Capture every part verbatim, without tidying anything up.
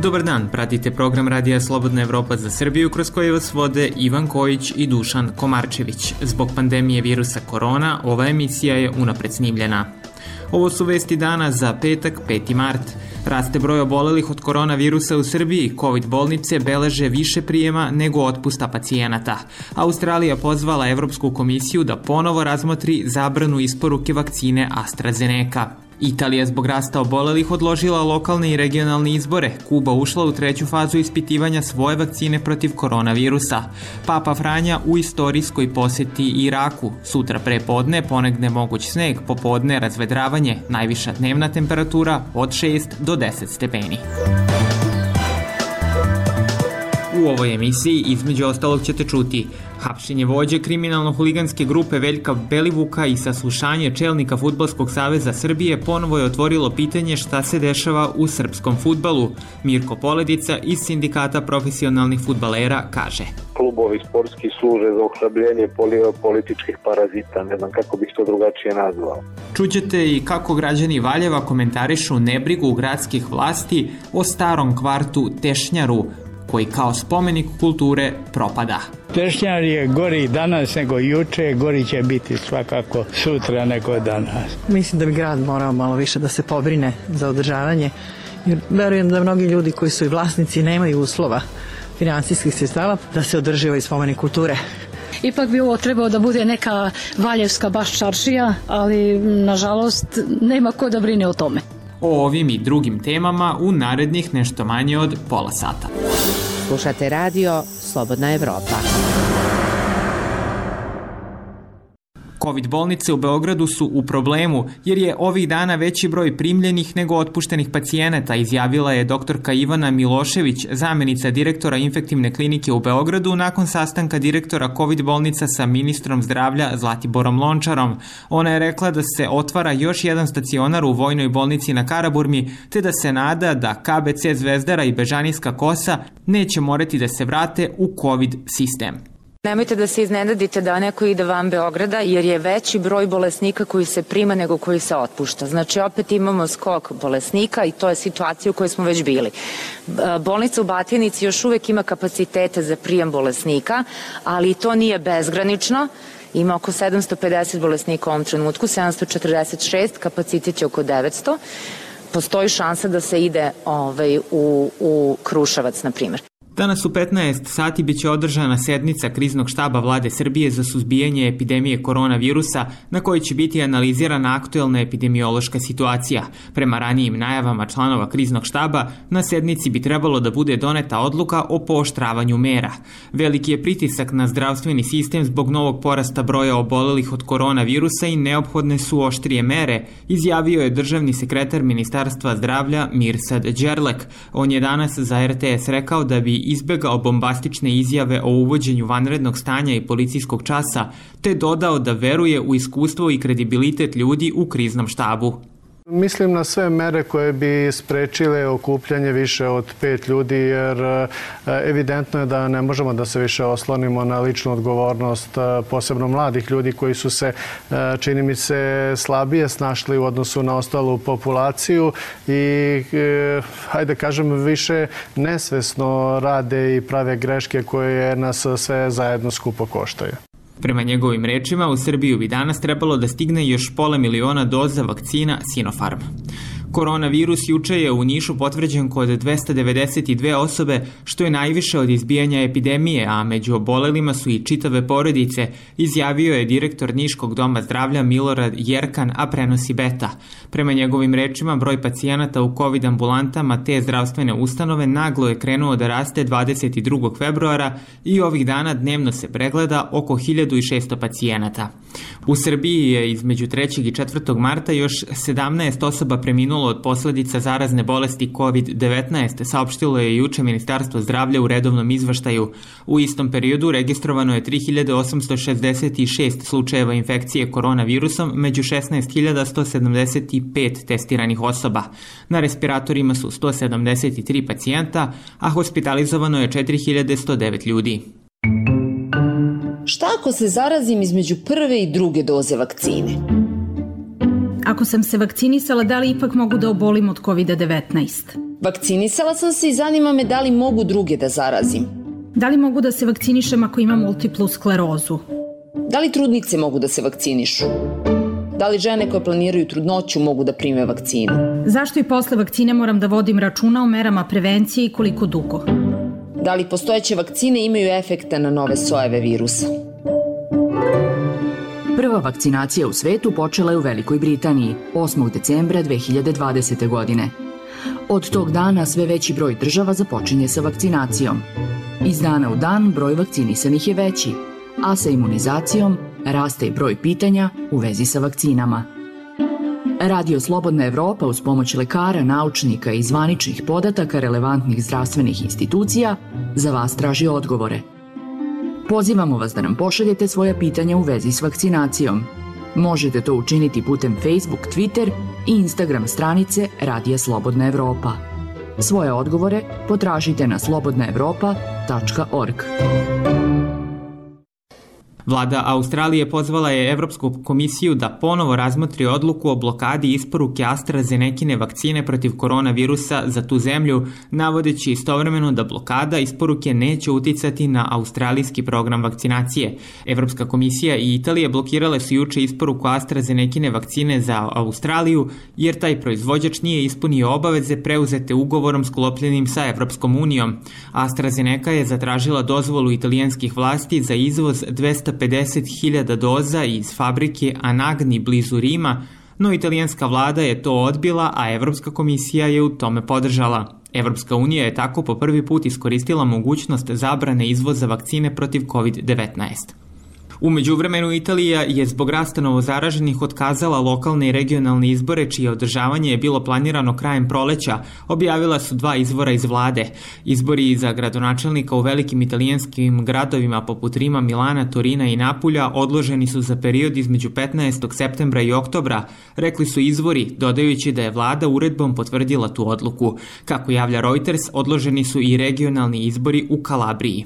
Dobar dan, pratite program Radija Slobodna Evropa za Srbiju kroz koje vas vode Ivan Kojić i Dušan Komarčević. Zbog pandemije virusa korona, ova emisija je unapred snimljena. Ovo su vesti dana za petak, peti mart. Raste broj obolelih od koronavirusa u Srbiji, COVID bolnice beleže više prijema nego otpusta pacijenata. Australija pozvala Evropsku komisiju da ponovo razmotri zabranu isporuke vakcine AstraZeneca. Italija zbog rasta obolelih odložila lokalne i regionalne izbore. Kuba ušla u treću fazu ispitivanja svoje vakcine protiv koronavirusa. Papa Franja u istorijskoj poseti Iraku. Sutra pre podne ponegne moguć sneg, popodne razvedravanje, najviša dnevna temperatura od šest do deset stepeni. U ovoj emisiji između ostalog ćete čuti hapšenje vođe kriminalno-huliganske grupe Veljka Belivuka i saslušanje čelnika Fudbalskog saveza Srbije ponovo je otvorilo pitanje šta se dešava u srpskom fudbalu. Mirko Poledica iz Sindikata profesionalnih fudbalera kaže: Klubovi sportski služe za ohlabljenje političkih parazita, ne znam kako bih to drugačije nazvao. Čućete i kako građani Valjeva komentarišu nebrigu gradskih vlasti o starom kvartu Tešnjaru, koji kao spomenik kulture propada. Tešnjar je gori danas nego juče, gori će biti svakako sutra nego danas. Mislim da bi grad morao malo više da se pobrine za održavanje, jer verujem da mnogi ljudi koji su i vlasnici nemaju uslova finansijskih sredstava da se održi ovaj spomenik kulture. Ipak bi ovo trebao da bude neka valjevska baš čaršija, ali nažalost nema ko da brine o tome. O ovim i drugim temama u narednih nešto manje od pola sata. Slušate radio Slobodna Evropa. COVID bolnice u Beogradu su u problemu jer je ovih dana veći broj primljenih nego otpuštenih pacijenata, izjavila je doktorka Ivana Milošević, zamenica direktora infektivne klinike u Beogradu, nakon sastanka direktora COVID bolnica sa ministrom zdravlja Zlatiborom Lončarom. Ona je rekla da se otvara još jedan stacionar u Vojnoj bolnici na Karaburmi, te da se nada da K B C Zvezdara i Bežanijska Kosa neće morati da se vrate u COVID sistem. Nemojte da se iznenadite da neko ide van Beograda, jer je veći broj bolesnika koji se prima nego koji se otpušta. Znači, opet imamo skok bolesnika i to je situacija u kojoj smo već bili. Bolnica u Batajnici još uvek ima kapacitete za prijem bolesnika, ali to nije bezgranično. Ima oko sedamsto pedeset bolesnika u ovom trenutku, sedamsto četrdeset šest, kapacitet je oko devetsto. Postoji šansa da se ide ovaj, u, u Kruševac, na primjer. Danas u petnaest sati biće održana sednica kriznog štaba Vlade Srbije za suzbijanje epidemije koronavirusa, na kojoj će biti analizirana aktuelna epidemiološka situacija. Prema ranijim najavama članova kriznog štaba, na sednici bi trebalo da bude doneta odluka o pooštravanju mera. Veliki je pritisak na zdravstveni sistem zbog novog porasta broja obolelih od koronavirusa i neophodne su oštrije mere, izjavio je državni sekretar Ministarstva zdravlja Mirsad Đerlek. On je danas za R T S rekao da bi izbegao bombastične izjave o uvođenju vanrednog stanja i policijskog časa, te dodao da veruje u iskustvo i kredibilitet ljudi u kriznom štabu. Mislim na sve mere koje bi sprečile okupljanje više od pet ljudi, jer evidentno je da ne možemo da se više oslonimo na ličnu odgovornost, posebno mladih ljudi koji su se, čini mi se, slabije snašli u odnosu na ostalu populaciju i, hajde kažem, više nesvesno rade i prave greške koje nas sve zajedno skupo koštaju. Prema njegovim rečima, u Srbiju bi danas trebalo da stigne još pola miliona doza vakcina Sinopharm. Koronavirus juče je u Nišu potvrđen kod dvesta devedeset dve osobe, što je najviše od izbijanja epidemije, a među obolelima su i čitave porodice, izjavio je direktor Niškog doma zdravlja Milorad Jerkan, a prenosi Beta. Prema njegovim rečima, broj pacijenata u COVID ambulantama te zdravstvene ustanove naglo je krenuo da raste dvadeset drugog februara i ovih dana dnevno se pregleda oko hiljadu šesto pacijenata. U Srbiji je između trećeg i četvrtog marta još sedamnaest osoba preminulo od posledica zarazne bolesti COVID devetnaest, saopštilo je juče Ministarstvo zdravlja u redovnom izveštaju. U istom periodu registrovano je tri hiljade osamsto šezdeset šest slučajeva infekcije koronavirusom među šesnaest hiljada sto sedamdeset pet testiranih osoba. Na respiratorima su sto sedamdeset tri pacijenta, a hospitalizovano je četiri hiljade sto devet ljudi. Šta ako se zarazim između prve i druge doze vakcine? Ako sam se vakcinisala, da li ipak mogu da obolim od COVID devetnaest? Vakcinisala sam se i zanima me da li mogu druge da zarazim. Da li mogu da se vakcinišem ako imam multiplu sklerozu? Da li trudnice mogu da se vakcinišu? Da li žene koje planiraju trudnoću mogu da prime vakcinu? Zašto i posle vakcine moram da vodim računa o merama prevencije i koliko dugo? Da li postojeće vakcine imaju efekta na nove sojeve virusa? Prva vakcinacija u svetu počela je u Velikoj Britaniji osmog decembra dve hiljade dvadesete. godine. Od tog dana sve veći broj država započinje sa vakcinacijom. Iz dana u dan broj vakcinisanih je veći, a sa imunizacijom raste i broj pitanja u vezi sa vakcinama. Radio Slobodna Evropa uz pomoć lekara, naučnika i zvaničnih podataka relevantnih zdravstvenih institucija za vas traži odgovore. Pozivamo vas da nam pošaljete svoja pitanja u vezi s vakcinacijom. Možete to učiniti putem Facebook, Twitter i Instagram stranice Radija Slobodna Evropa. Svoje odgovore potražite na slobodna evropa tačka org. Vlada Australije pozvala je Evropsku komisiju da ponovo razmotri odluku o blokadi isporuke AstraZenekine vakcine protiv koronavirusa za tu zemlju, navodeći istovremeno da blokada isporuke neće uticati na australijski program vakcinacije. Evropska komisija i Italija blokirale su juče isporuku AstraZenekine vakcine za Australiju, jer taj proizvođač nije ispunio obaveze preuzete ugovorom sklopljenim sa Evropskom unijom. AstraZeneca je zatražila dozvolu italijanskih vlasti za izvoz dvesta pedeset hiljada doza iz fabrike Anagni blizu Rima, no italijanska vlada je to odbila, a Evropska komisija je u tome podržala. Evropska unija je tako po prvi put iskoristila mogućnost zabrane izvoza vakcine protiv kovid devetnaest. U međuvremenu Italija je zbog rasta novozaraženih otkazala lokalne i regionalne izbore, čije održavanje je bilo planirano krajem proleća, objavila su dva izvora iz vlade. Izbori za gradonačelnika u velikim italijanskim gradovima poput Rima, Milana, Torina i Napulja odloženi su za period između petnaestog septembra i oktobra, rekli su izvori, dodajući da je vlada uredbom potvrdila tu odluku. Kako javlja Reuters, odloženi su i regionalni izbori u Kalabriji.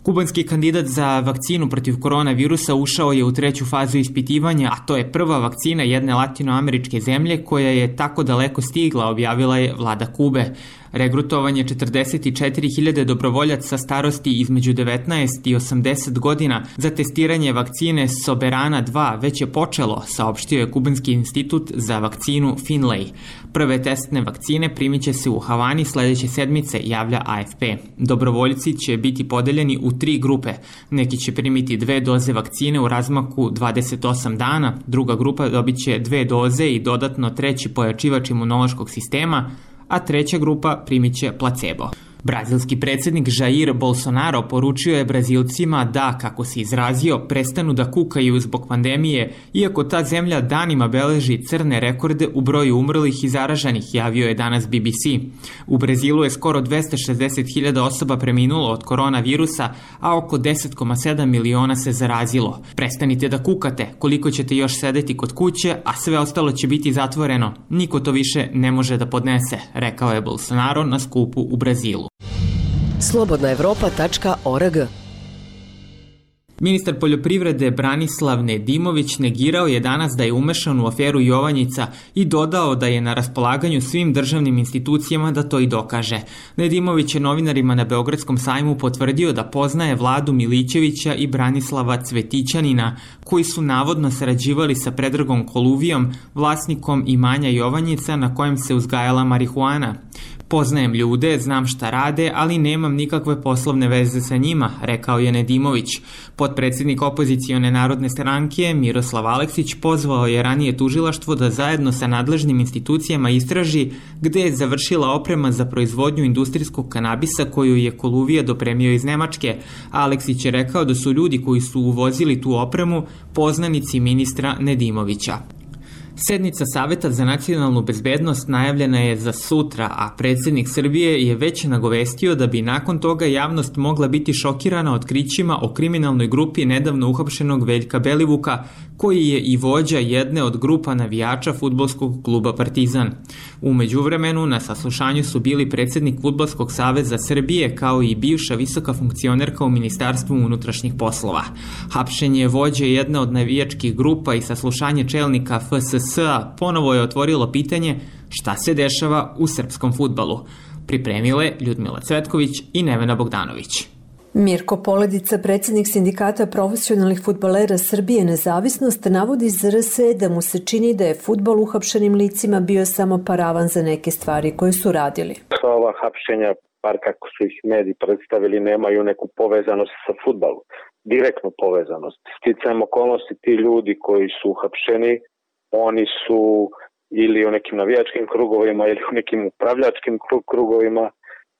Kubanski kandidat za vakcinu protiv koronavirusa ušao je u treću fazu ispitivanja, a to je prva vakcina jedne latinoameričke zemlje koja je tako daleko stigla, objavila je vlada Kube. Regrutovanje četrdeset četiri hiljade dobrovoljaca starosti između devetnaest i osamdeset godina za testiranje vakcine Soberana dva već je počelo, saopštio je Kubanski institut za vakcinu Finlay. Prve testne vakcine primit će se u Havani sledeće sedmice, javlja A F P. Dobrovoljci će biti podeljeni u tri grupe. Neki će primiti dve doze vakcine u razmaku dvadeset osam dana, druga grupa dobit će dve doze i dodatno treći pojačivač imunološkog sistema, a treća grupa primit će placebo. Brazilski predsjednik Jair Bolsonaro poručio je Brazilcima da, kako se izrazio, prestanu da kukaju zbog pandemije, iako ta zemlja danima beleži crne rekorde u broju umrlih i zaraženih, javio je danas B B C. U Brazilu je skoro dvesta šezdeset hiljada osoba preminulo od koronavirusa, a oko deset zarez sedam miliona se zarazilo. Prestanite da kukate, koliko ćete još sedeti kod kuće, a sve ostalo će biti zatvoreno. Niko to više ne može da podnese, rekao je Bolsonaro na skupu u Brazilu. slobodna evropa tačka org. Ministar poljoprivrede Branislav Nedimović negirao je danas da je umešan u aferu Jovanjica i dodao da je na raspolaganju svim državnim institucijama da to i dokaže. Nedimović je novinarima na Beogradskom sajmu potvrdio da poznaje Vladu Milićevića i Branislava Cvetićanina, koji su navodno sarađivali sa Predragom Koluvijom, vlasnikom imanja Jovanjica na kojem se uzgajala marihuana. Poznajem ljude, znam šta rade, ali nemam nikakve poslovne veze sa njima, rekao je Nedimović. Potpredsjednik opozicione narodne stranke Miroslav Aleksić pozvao je ranije tužilaštvo da zajedno sa nadležnim institucijama istraži gde je završila oprema za proizvodnju industrijskog kanabisa koju je Koluvija dopremio iz Nemačke. Aleksić je rekao da su ljudi koji su uvozili tu opremu poznanici ministra Nedimovića. Sednica Saveta za nacionalnu bezbednost najavljena je za sutra, a predsjednik Srbije je već nagovestio da bi nakon toga javnost mogla biti šokirana otkrićima o kriminalnoj grupi nedavno uhapšenog Veljka Belivuka, koji je i vođa jedne od grupa navijača fudbalskog kluba Partizan. U međuvremenu na saslušanju su bili predsjednik Fudbalskog saveza Srbije kao i bivša visoka funkcionerka u Ministarstvu unutrašnjih poslova. Hapšenje vođe jedne od navijačkih grupa i saslušanje čelnika F S S-a ponovo je otvorilo pitanje Šta se dešava u srpskom fudbalu? Pripremile Ljudmila Cvetković i Nevena Bogdanović. Mirko Poledica, predsjednik Sindikata profesionalnih fudbalera Srbije Nezavisnost, navodi iz R S E da mu se čini da je fudbal uhapšenim licima bio samo paravan za neke stvari koje su radili. Ova hapšenja, par kako su ih mediji predstavili, nemaju neku povezanost sa fudbalom, direktnu povezanost. Sticajem okolnosti, ti ljudi koji su uhapšeni, oni su ili u nekim navijačkim krugovima ili u nekim upravljačkim krugovima,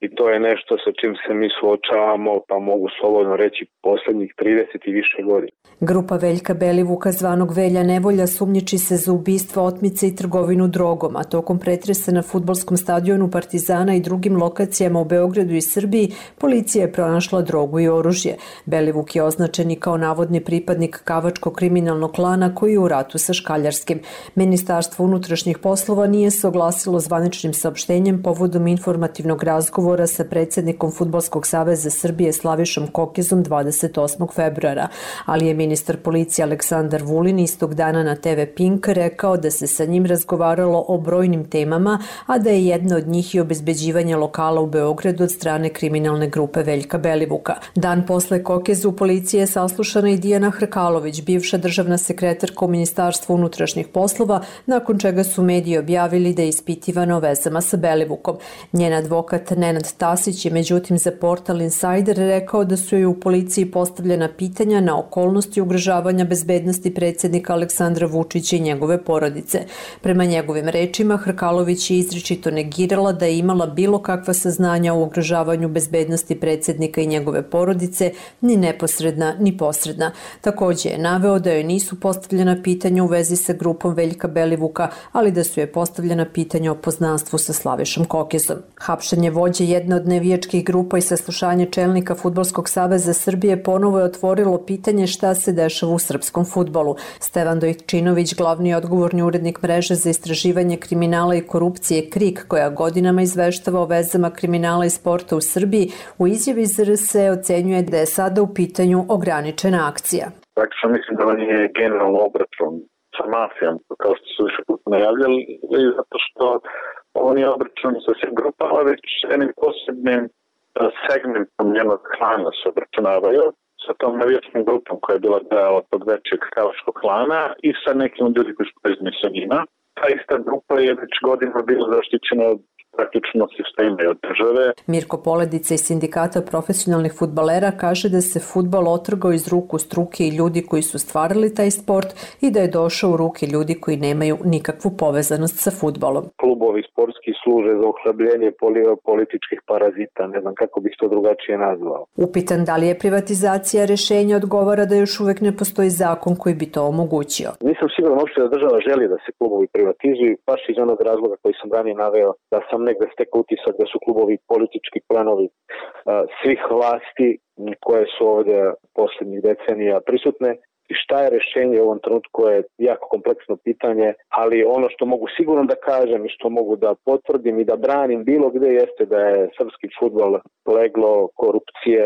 i to je nešto sa čim se mi suočavamo, pa mogu slobodno reći, poslednjih trideset i više godina. Grupa Veljka Belivuka, zvanog Velja Nevolja, sumnjiči se za ubistva, otmice i trgovinu drogom, a tokom pretresa na fudbalskom stadionu Partizana i drugim lokacijama u Beogradu i Srbiji, policija je pronašla drogu i oružje. Belivuk je označen i kao navodni pripadnik kavačkog kriminalnog klana koji je u ratu sa Škaljarskim. Ministarstvo unutrašnjih poslova nije se oglasilo zvaničnim saopštenjem povodom informativnog razgovora sa predsjednikom Fudbalskog saveza Srbije Slavišom Kokezom dvadeset osmog februara, ali je ministar policije Aleksandar Vulin istog dana na te ve Pink rekao da se sa njim razgovaralo o brojnim temama, a da je jedna od njih i obezbeđivanje lokala u Beogradu od strane kriminalne grupe Veljka Belivuka. Dan posle Kokezu u policiji je saslušana i Dijana Hrkalović, bivša državna sekretarka u Ministarstvu unutrašnjih poslova, nakon čega su mediji objavili da je ispitivana o vezama sa Belivukom. Njen advokat Nenad Tasić je međutim za portal Insider rekao da su joj u policiji postavljena pitanja na okolnosti ugrožavanja bezbednosti predsjednika Aleksandra Vučića i njegove porodice. Prema njegovim rečima, Hrkalović je izričito negirala da je imala bilo kakva saznanja o ugrožavanju bezbednosti predsjednika i njegove porodice, ni neposredna, ni posredna. Također je naveo da joj nisu postavljena pitanja u vezi sa grupom Veljka Belivuka, ali da su joj postavljena pitanja o poznanstvu sa Slavišom Kokezom. Hapšenje vođe jedne od nevijačkih grupa i saslušanje čelnika Fudbalskog saveza Srbije ponovo je otvorilo pitanje šta se dešava u srpskom fudbalu. Stevan Dojčinović, glavni odgovorni urednik mreže za istraživanje kriminala i korupcije KRIK, koja godinama izveštava o vezama kriminala i sporta u Srbiji, u izjavi iz R S E ocenjuje da je sada u pitanju ograničena akcija. Praktično mislim da on je generalno obračun sa mafijom, kao što su više puta najavljali, zato što ovo nije obračun sa svim grupama, već jednim posebnim segmentom njenog klana se obračunavaju, sa tom navijačkom grupom koja je bila deo od tog većeg kavačkog klana i sa nekim ljudi koji su povezani sa njima. Ta ista grupa je već godinama bila zaštićena od praktično sistema i od države. Mirko Poledica iz Sindikata profesionalnih fudbalera kaže da se fudbal otrgao iz ruku struke i ljudi koji su stvarali taj sport i da je došao u ruke ljudi koji nemaju nikakvu povezanost sa fudbalom. Klubovi sportski služe za ohlabljenje političkih parazita, ne znam kako bih to drugačije nazvao. Upitan da li je privatizacija rešenja, odgovara da još uvek ne postoji zakon koji bi to omogućio. Nisam siguran uopšte da država želi da se klubovi privatizuju, baš iz onog razloga koji sam ranije naveo, da sam negde stekao utisak da su klubovi politički planovi uh, svih vlasti koje su ovdje posljednjih decenija prisutne. I šta je rešenje u ovom trenutku je jako kompleksno pitanje, ali ono što mogu sigurno da kažem i što mogu da potvrdim i da branim bilo gde jeste da je srpski fudbal leglo korupcije,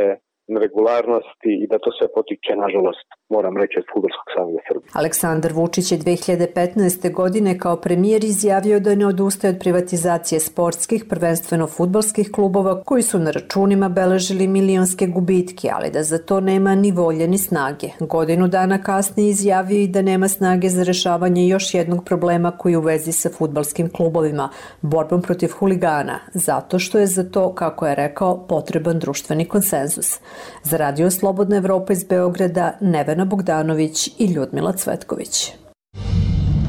neregularnosti i da to sve potiče, nažalost, moram reći, od Fudbalskog saveza Srbije. Aleksandar Vučić je dve hiljade petnaeste. godine kao premijer izjavio da ne odustaje od privatizacije sportskih, prvenstveno fudbalskih klubova koji su na računima beležili milionske gubitke, ali da za to nema ni volje ni snage. Godinu dana kasnije izjavio i da nema snage za rešavanje još jednog problema koji je u vezi sa fudbalskim klubovima, borbom protiv huligana, zato što je za to, kako je rekao, potreban društveni konsenzus. Za Radio Slobodna Evropa iz Beograda, Nevena Bogdanović i Ljudmila Cvetković.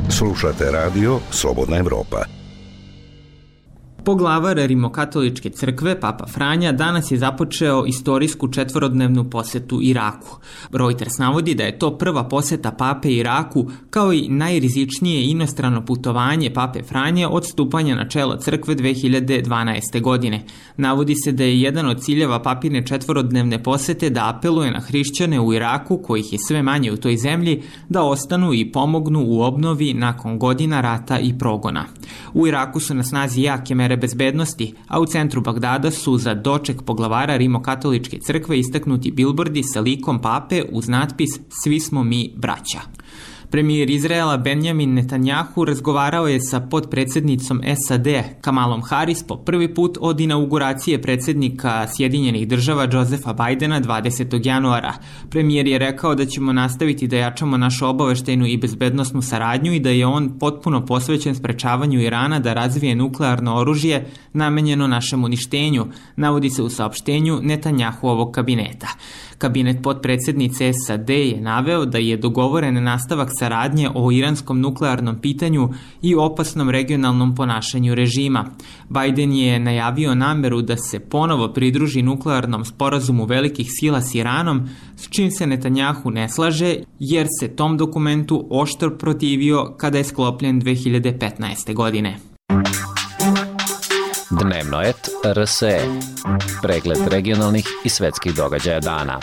Slušate Radio Slobodna Evropa. Poglavar Rimokatoličke crkve, Papa Franja, danas je započeo istorijsku četvorodnevnu posetu Iraku. Reuters navodi da je to prva poseta pape Iraku, kao i najrizičnije inostrano putovanje pape Franje od stupanja na čelo crkve dve hiljade dvanaeste. godine. Navodi se da je jedan od ciljeva papine četvorodnevne posete da apeluje na hrišćane u Iraku, kojih je sve manje u toj zemlji, da ostanu i pomognu u obnovi nakon godina rata i progona. U Iraku su na snazi jake mere bezbednosti, a u centru Bagdada su za doček poglavara Rimokatoličke crkve istaknuti bilbordi sa likom pape uz natpis "Svi smo mi braća". Premijer Izraela Benjamin Netanjahu razgovarao je sa potpredsednicom S A D Kamalom Harris po prvi put od inauguracije predsednika Sjedinjenih država Josefa Bajdena dvadesetog januara. Premijer je rekao da ćemo nastaviti da jačamo našu obaveštajnu i bezbednosnu saradnju i da je on potpuno posvećen sprečavanju Irana da razvije nuklearno oružje namenjeno našem uništenju, navodi se u saopštenju Netanjahuovog kabineta. Kabinet potpredsednice S A D je naveo da je dogovoren nastavak saradnje o iranskom nuklearnom pitanju i opasnom regionalnom ponašanju režima. Bajden je najavio nameru da se ponovo pridruži nuklearnom sporazumu velikih sila s Iranom, s čim se Netanjahu ne slaže, jer se tom dokumentu oštro protivio kada je sklopljen dve hiljade petnaeste. godine. Dnevno et R S E. Pregled regionalnih i svetskih događaja dana.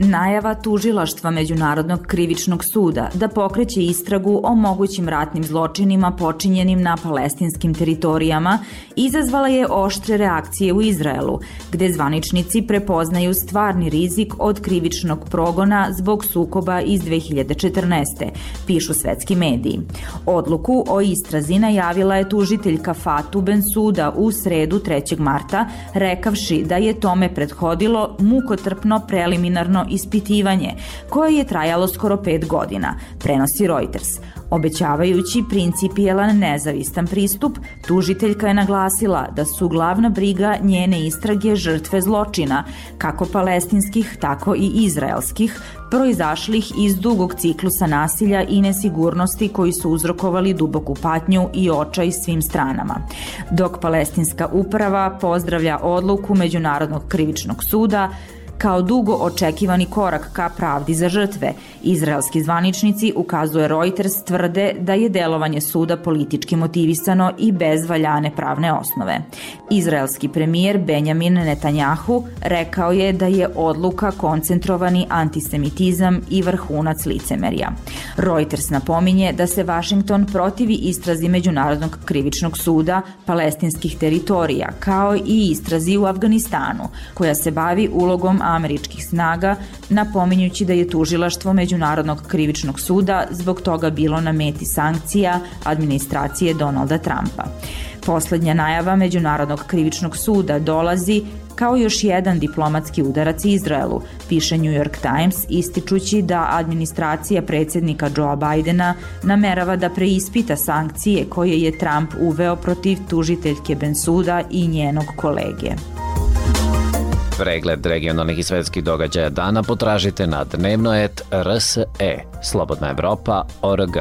Najava tužilaštva Međunarodnog krivičnog suda da pokreće istragu o mogućim ratnim zločinima počinjenim na palestinskim teritorijama izazvala je oštre reakcije u Izraelu, gde zvaničnici prepoznaju stvarni rizik od krivičnog progona zbog sukoba iz dve hiljade četrnaeste. pišu svetski mediji. Odluku o istrazi najavila je tužiteljka Fatou Bensouda u sredu trećeg marta, rekavši da je tome prethodilo mukotrpno preliminarno ispitivanje, koje je trajalo skoro pet godina, prenosi Reuters. Obećavajući principijelan nezavistan pristup, tužiteljka je naglasila da su glavna briga njene istrage žrtve zločina, kako palestinskih, tako i izraelskih, proizašlih iz dugog ciklusa nasilja i nesigurnosti koji su uzrokovali duboku patnju i očaj svim stranama. Dok palestinska uprava pozdravlja odluku Međunarodnog krivičnog suda kao dugo očekivani korak ka pravdi za žrtve, izraelski zvaničnici, ukazuje Reuters, tvrde da je delovanje suda politički motivisano i bez valjane pravne osnove. Izraelski premijer Benjamin Netanjahu rekao je da je odluka koncentrovani antisemitizam i vrhunac licemerja. Reuters napominje da se Vašington protivi istrazi Međunarodnog krivičnog suda palestinskih teritorija, kao i istrazi u Afganistanu, koja se bavi ulogom američkih snaga, napominjući da je tužilaštvo Međunarodnog krivičnog suda zbog toga bilo na meti sankcija administracije Donalda Trumpa. Poslednja najava Međunarodnog krivičnog suda dolazi kao još jedan diplomatski udarac Izraelu, piše New York Times, ističući da administracija predsjednika Joea Bajdena namerava da preispita sankcije koje je Trump uveo protiv tužiteljke Bensouda i njenog kolege. Pregled regionalnih i svetskih događaja dana potražite na dnevno et R S E, Slobodna Evropa, O R G.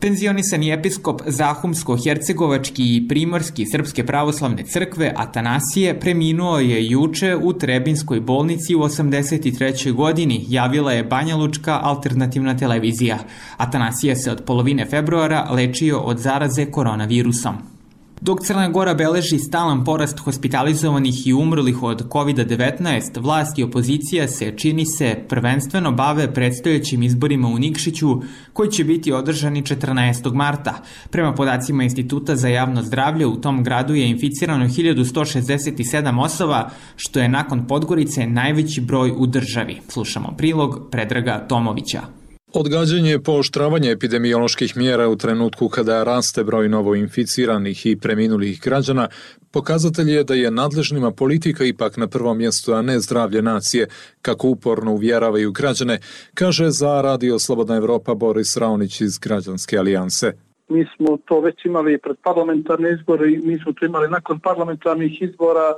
Penzionisani episkop Zahumsko-hercegovački i primorski Srpske pravoslavne crkve Atanasije preminuo je juče u Trebinskoj bolnici u osamdeset trećoj. godini, javila je Banjalučka alternativna televizija. Atanasije se od polovine februara lečio od zaraze koronavirusom. Dok Crna Gora beleži stalan porast hospitalizovanih i umrlih od kovid devetnaest, vlast i opozicija se, čini se, prvenstveno bave predstojećim izborima u Nikšiću, koji će biti održani četrnaestog marta. Prema podacima Instituta za javno zdravlje, u tom gradu je inficirano hiljadu sto šezdeset sedam osoba, što je nakon Podgorice najveći broj u državi. Slušamo prilog Predraga Tomovića. Odgađanje pooštravanja epidemioloških mjera u trenutku kada raste broj novoinficiranih i preminulih građana pokazatelj je da je nadležnima politika ipak na prvom mjestu, a ne zdravlje nacije, kako uporno uvjeravaju građane, kaže za Radio Slobodna Evropa Boris Raonić iz Građanske alijanse. Mi smo to već imali pred parlamentarne izbore i mi smo to imali nakon parlamentarnih izbora,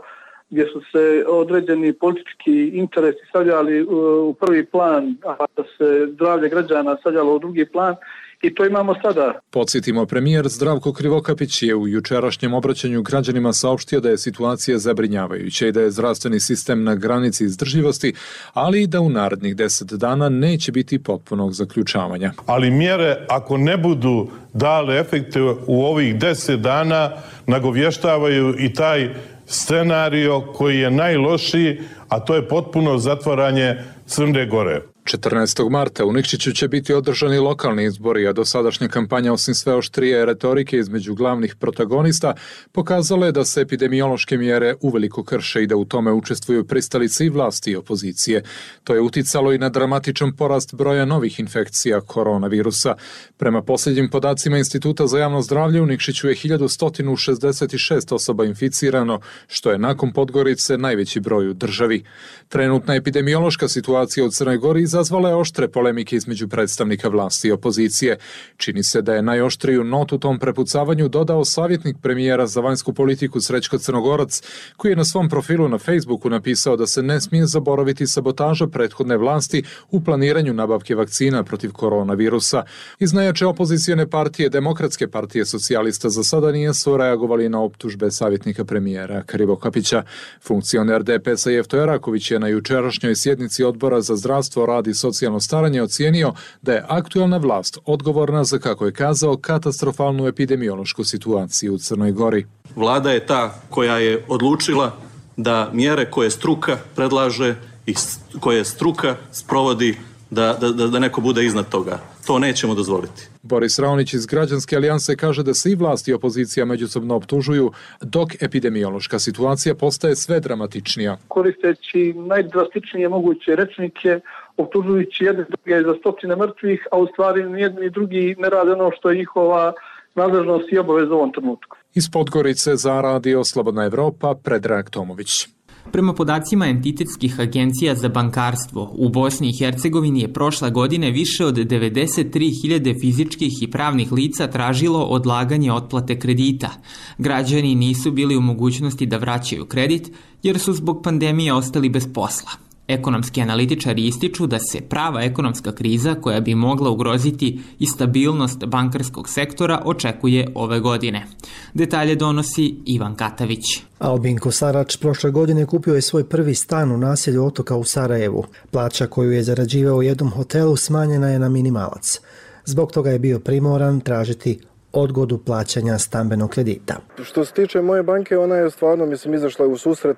gdje su se određeni politički interesi stavljali u prvi plan, a da se zdravlje građana stavljalo u drugi plan, i to imamo sada. Podsjetimo, premijer Zdravko Krivokapić je u jučerašnjem obraćanju građanima saopštio da je situacija zabrinjavajuća i da je zdravstveni sistem na granici izdržljivosti, ali i da u narednih deset dana neće biti potpunog zaključavanja. Ali mjere, ako ne budu dale efekte u ovih deset dana, nagovještavaju i taj scenario koji je najlošiji, a to je potpuno zatvaranje Crne Gore. četrnaestog marta u Nikšiću će biti održani lokalni izbori, a dosadašnja kampanja osim sve oštrije retorike između glavnih protagonista pokazala je da se epidemiološke mjere uveliko krše i da u tome učestvuju pristalice i vlasti i opozicije. To je uticalo i na dramatičan porast broja novih infekcija koronavirusa. Prema posljednjim podacima Instituta za javno zdravlje u Nikšiću je hiljadu sto šezdeset šest osoba inficirano, što je nakon Podgorice najveći broj u državi. Trenutna epidemiološka situacija u Crnoj Gori izazvala je oštre polemike između predstavnika vlasti i opozicije. Čini se da je najoštriju notu tom prepucavanju dodao savjetnik premijera za vanjsku politiku Srećko Crnogorac, koji je na svom profilu na Facebooku napisao da se ne smije zaboraviti sabotaža prethodne vlasti u planiranju nabavke vakcina protiv koronavirusa. Iz najjače opozicijone partije, Demokratske partije socijalista, za sada nisu reagovali na optužbe savjetnika premijera Krivokapića. Funkcioner D P S-a Jefto Eraković je na jučerašnjoj sjednici Odbora za zdravstvo, rad i socijalno staranje ocijenio da je aktualna vlast odgovorna za, kako je kazao, katastrofalnu epidemiološku situaciju u Crnoj Gori. Vlada je ta koja je odlučila da mjere koje struka predlaže i koje struka sprovodi da, da, da neko bude iznad toga. To nećemo dozvoliti. Boris Raonić iz Građanske alijanse kaže da se i vlast i opozicija međusobno optužuju, dok epidemiološka situacija postaje sve dramatičnija. Koristeći najdrastičnije moguće rečnike, optužujući jedne druge za stotine mrtvih, a u stvari ni jedni ni drugi ne rade ono što je njihova nadležnost i obaveza u ovom trenutku. Iz Podgorice za Radio Slobodna Evropa, Predrag Tomović. Prema podacima entitetskih agencija za bankarstvo, u Bosni i Hercegovini je prošle godine više od devedeset tri hiljade fizičkih i pravnih lica tražilo odlaganje otplate kredita. Građani nisu bili u mogućnosti da vraćaju kredit jer su zbog pandemije ostali bez posla. Ekonomski analitičari ističu da se prava ekonomska kriza koja bi mogla ugroziti i stabilnost bankarskog sektora očekuje ove godine. Detalje donosi Ivan Katavić. Albin Kosarač prošle godine kupio je svoj prvi stan u naselju Otoka u Sarajevu. Plaća koju je zarađivao u jednom hotelu smanjena je na minimalac. Zbog toga je bio primoran tražiti odgodu plaćanja stambenog kredita. Što se tiče moje banke, ona je stvarno, mislim, izašla u susret,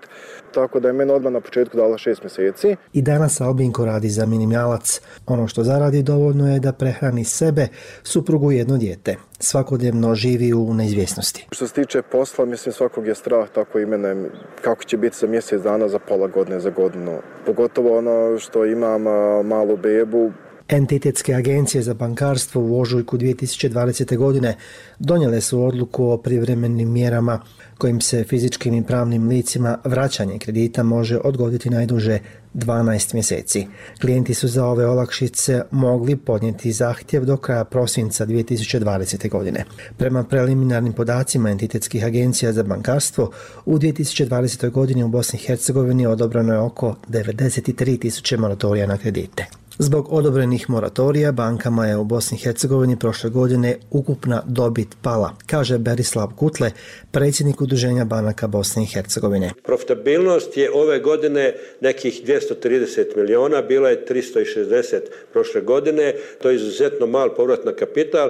tako da je meni odmah na početku dala šest mjeseci. I danas Albinko radi za minimalac. Ono što zaradi dovoljno je da prehrani sebe, suprugu i jedno dijete. Svakodnevno živi u neizvjesnosti. Što se tiče posla, mislim, svakog je strah, tako i mene, kako će biti za mjesec dana, za pola godine, za godinu. Pogotovo ono što imam malu bebu. Entitetske agencije za bankarstvo u ožujku dvije tisuće dvadesete. godine donijele su odluku o privremenim mjerama kojim se fizičkim i pravnim licima vraćanje kredita može odgoditi najduže dvanaest mjeseci. Klijenti su za ove olakšice mogli podnijeti zahtjev do kraja prosinca dvije tisuće dvadesete. godine. Prema preliminarnim podacima entitetskih agencija za bankarstvo, u dvije tisuće dvadesetoj. godini u Bosni i Hercegovini odobreno je oko devedeset tri tisuće moratorija na kredite. Zbog odobrenih moratorija bankama je u Bosni i Hercegovini prošle godine ukupna dobit pala, kaže Berislav Kutle, predsjednik Udruženja banaka Bosne i Hercegovine. Profitabilnost je ove godine nekih dvjesto trideset miliona, bila je tristo šezdeset prošle godine, to je izuzetno mal povrat na kapital.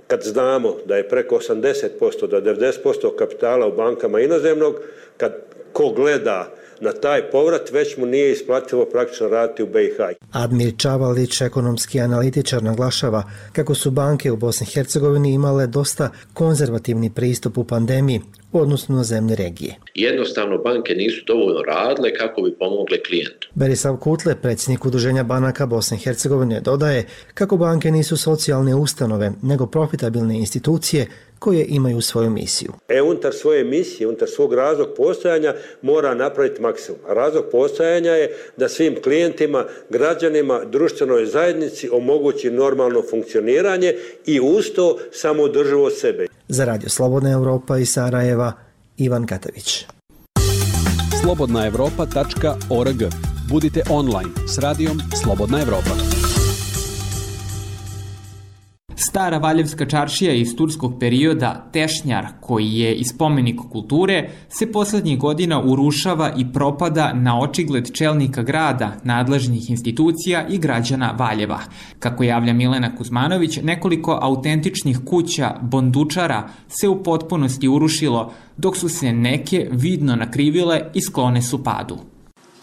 Kad znamo da je preko osamdeset posto do devedeset posto kapitala u bankama inozemnog, kad ko gleda na taj povrat, već mu nije isplativo praktično raditi u B i H. Admir Čavalić, ekonomski analitičar, naglašava kako su banke u Bosni i Hercegovini imale dosta konzervativni pristup u pandemiji u odnosu na zemlje regije. Jednostavno banke nisu dovoljno radile kako bi pomogle klijentu. Berislav Kutle, predsjednik Udruženja banaka Bosne i Hercegovine, dodaje kako banke nisu socijalne ustanove, nego profitabilne institucije koje imaju svoju misiju. E, unutar svoje misije, unutar svog razlog postojanja mora napraviti maksimum. A razlog postojanja je da svim klijentima, građanima, društvenoj zajednici omogući normalno funkcioniranje i uz to samoodrživo sebe. Za Radio Slobodna Evropa iz Sarajeva, Ivan Katavić. slobodna evropa tačka org. Budite online s radijom Slobodna Evropa. Stara Valjevska čaršija iz turskog perioda Tešnjar, koji je i spomenik kulture, se poslednjih godina urušava i propada na očigled čelnika grada, nadležnih institucija i građana Valjeva. Kako javlja Milena Kuzmanović, nekoliko autentičnih kuća bondučara se u potpunosti urušilo, dok su se neke vidno nakrivile i sklone su padu.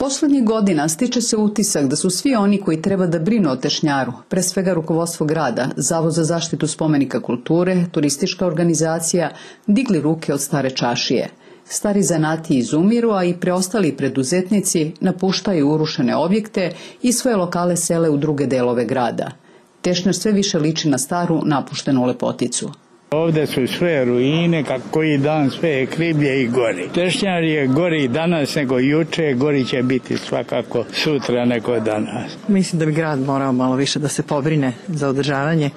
Poslednjih godina stiče se utisak da su svi oni koji treba da brinu o Tešnjaru, pre svega rukovodstvo grada, Zavod za zaštitu spomenika kulture, turistička organizacija, digli ruke od stare čašije. Stari zanati izumiru, a i preostali preduzetnici napuštaju urušene objekte i svoje lokale sele u druge delove grada. Tešnjar sve više liči na staru, napuštenu lepoticu. Ovde su sve ruine, kako koji dan sve je kriblje i gori. Tešnjar je gori danas nego juče, gori će biti svakako sutra nego danas. Mislim da bi grad morao malo više da se pobrine za održavanje,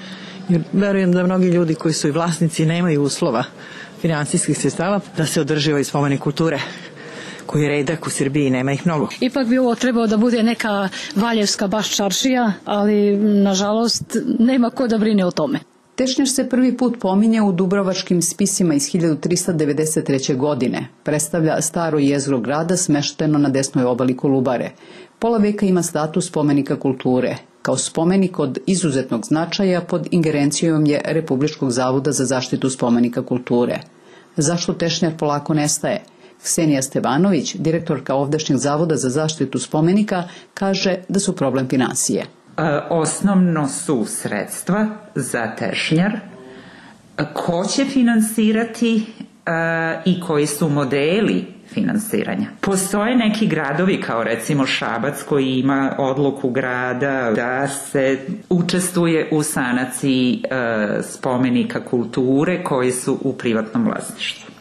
jer verujem da mnogi ljudi koji su i vlasnici nemaju uslova finansijskih sredstava da se održi ovaj spomenik kulture koji je redak u Srbiji, nema ih mnogo. Ipak bi ovo trebao da bude neka valjevska baš čaršija, ali nažalost nema ko da brine o tome. Tešnjar se prvi put pominje u Dubrovačkim spisima iz hiljadu trista devedeset treće. godine. Predstavlja staro jezgro grada smešteno na desnoj obali Kolubare. Pola veka ima status spomenika kulture. Kao spomenik od izuzetnog značaja pod ingerencijom je Republičkog zavoda za zaštitu spomenika kulture. Zašto Tešnjar polako nestaje? Ksenija Stevanović, direktorka ovdašnjeg Zavoda za zaštitu spomenika, kaže da su problem finansije. Osnovno su sredstva za Tešnjar, ko će finansirati i koji su modeli finansiranja. Postoje neki gradovi kao recimo Šabac koji ima odluku grada da se učestvuje u sanaciji spomenika kulture koji su u privatnom vlasništvu.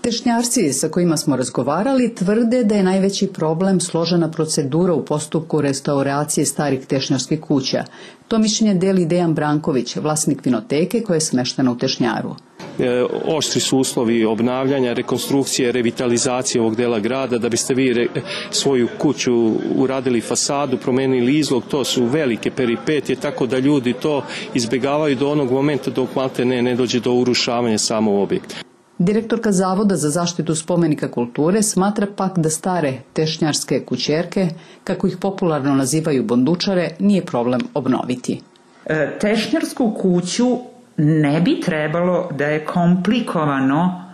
Tešnjarci sa kojima smo razgovarali tvrde da je najveći problem složena procedura u postupku restauracije starih tešnjarskih kuća. To mišljenje deli Dejan Branković, vlasnik vinoteke koja je smeštena u Tešnjaru. E, oštri su uslovi obnavljanja, rekonstrukcije, revitalizacije ovog dela grada. Da biste vi re, svoju kuću uradili fasadu, promenili izlog, to su velike peripetije, tako da ljudi to izbjegavaju do onog momenta dok malte ne, ne dođe do urušavanja samog objekta. Direktorka Zavoda za zaštitu spomenika kulture smatra pak da stare tešnjarske kućerke, kako ih popularno nazivaju bondučare, nije problem obnoviti. E, tešnjarsku kuću ne bi trebalo da je komplikovano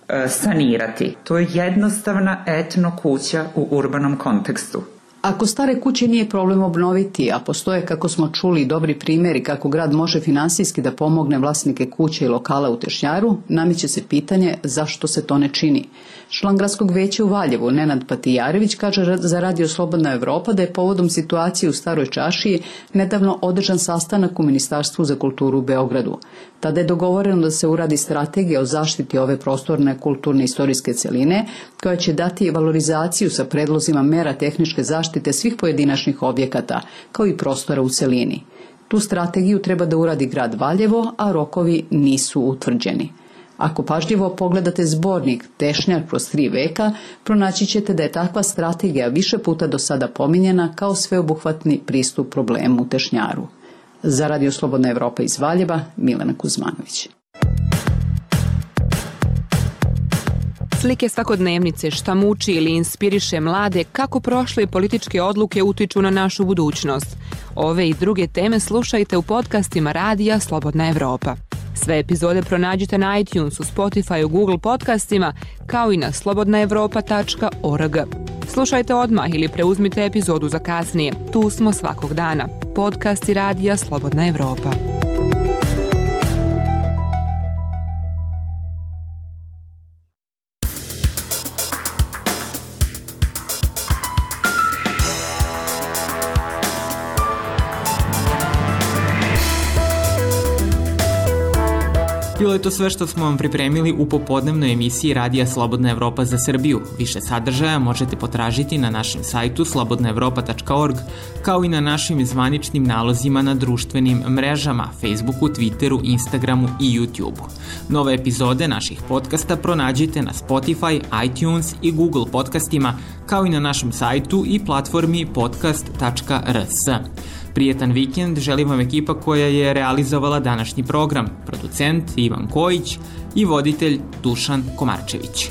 e, sanirati. To je jednostavna etno kuća u urbanom kontekstu. Ako stare kuće nije problem obnoviti, a postoje, kako smo čuli, dobri primjeri kako grad može finansijski da pomogne vlasnike kuće i lokala u Tešnjaru, nameće se pitanje zašto se to ne čini. Član gradskog veća u Valjevu, Nenad Patijarević, kaže za Radio Slobodna Evropa da je povodom situacije u Staroj čašiji nedavno održan sastanak u Ministarstvu za kulturu u Beogradu. Tada je dogovoreno da se uradi strategija o zaštiti ove prostorne kulturne istorijske celine, koja će dati valorizaciju sa predlozima mera tehničke zaštite svih pojedinačnih objekata, kao i prostora u celini. Tu strategiju treba da uradi grad Valjevo, a rokovi nisu utvrđeni. Ako pažljivo pogledate zbornik Tešnjar kroz tri veka, pronaći ćete da je takva strategija više puta do sada pominjena kao sveobuhvatni pristup problemu u Tešnjaru. Za Radio Slobodna Evropa iz Valjeva, Milena Kuzmanović. Slike svakodnevnice, šta muči ili inspiriše mlade, kako prošle političke odluke utiču na našu budućnost. Ove i druge teme slušajte u podcastima Radija Slobodna Evropa. Sve epizode pronađite na iTunesu, Spotifyu, Google podcastima, kao i na slobodna evropa tačka org. Slušajte odmah ili preuzmite epizodu za kasnije. Tu smo svakog dana. Podcasti Radija Slobodna Evropa. Bilo je to sve što smo vam pripremili u popodnevnoj emisiji Radija Slobodna Evropa za Srbiju. Više sadržaja možete potražiti na našem sajtu slobodna evropa tačka org, kao i na našim zvaničnim nalozima na društvenim mrežama, Facebooku, Twitteru, Instagramu i YouTubeu. Nove epizode naših podcasta pronađite na Spotify, iTunes i Google podcastima, kao i na našem sajtu i platformi podcast tačka r s. Prijetan vikend želim vam ekipa koja je realizovala današnji program, producent Ivan Kojić i voditelj Dušan Komarčević.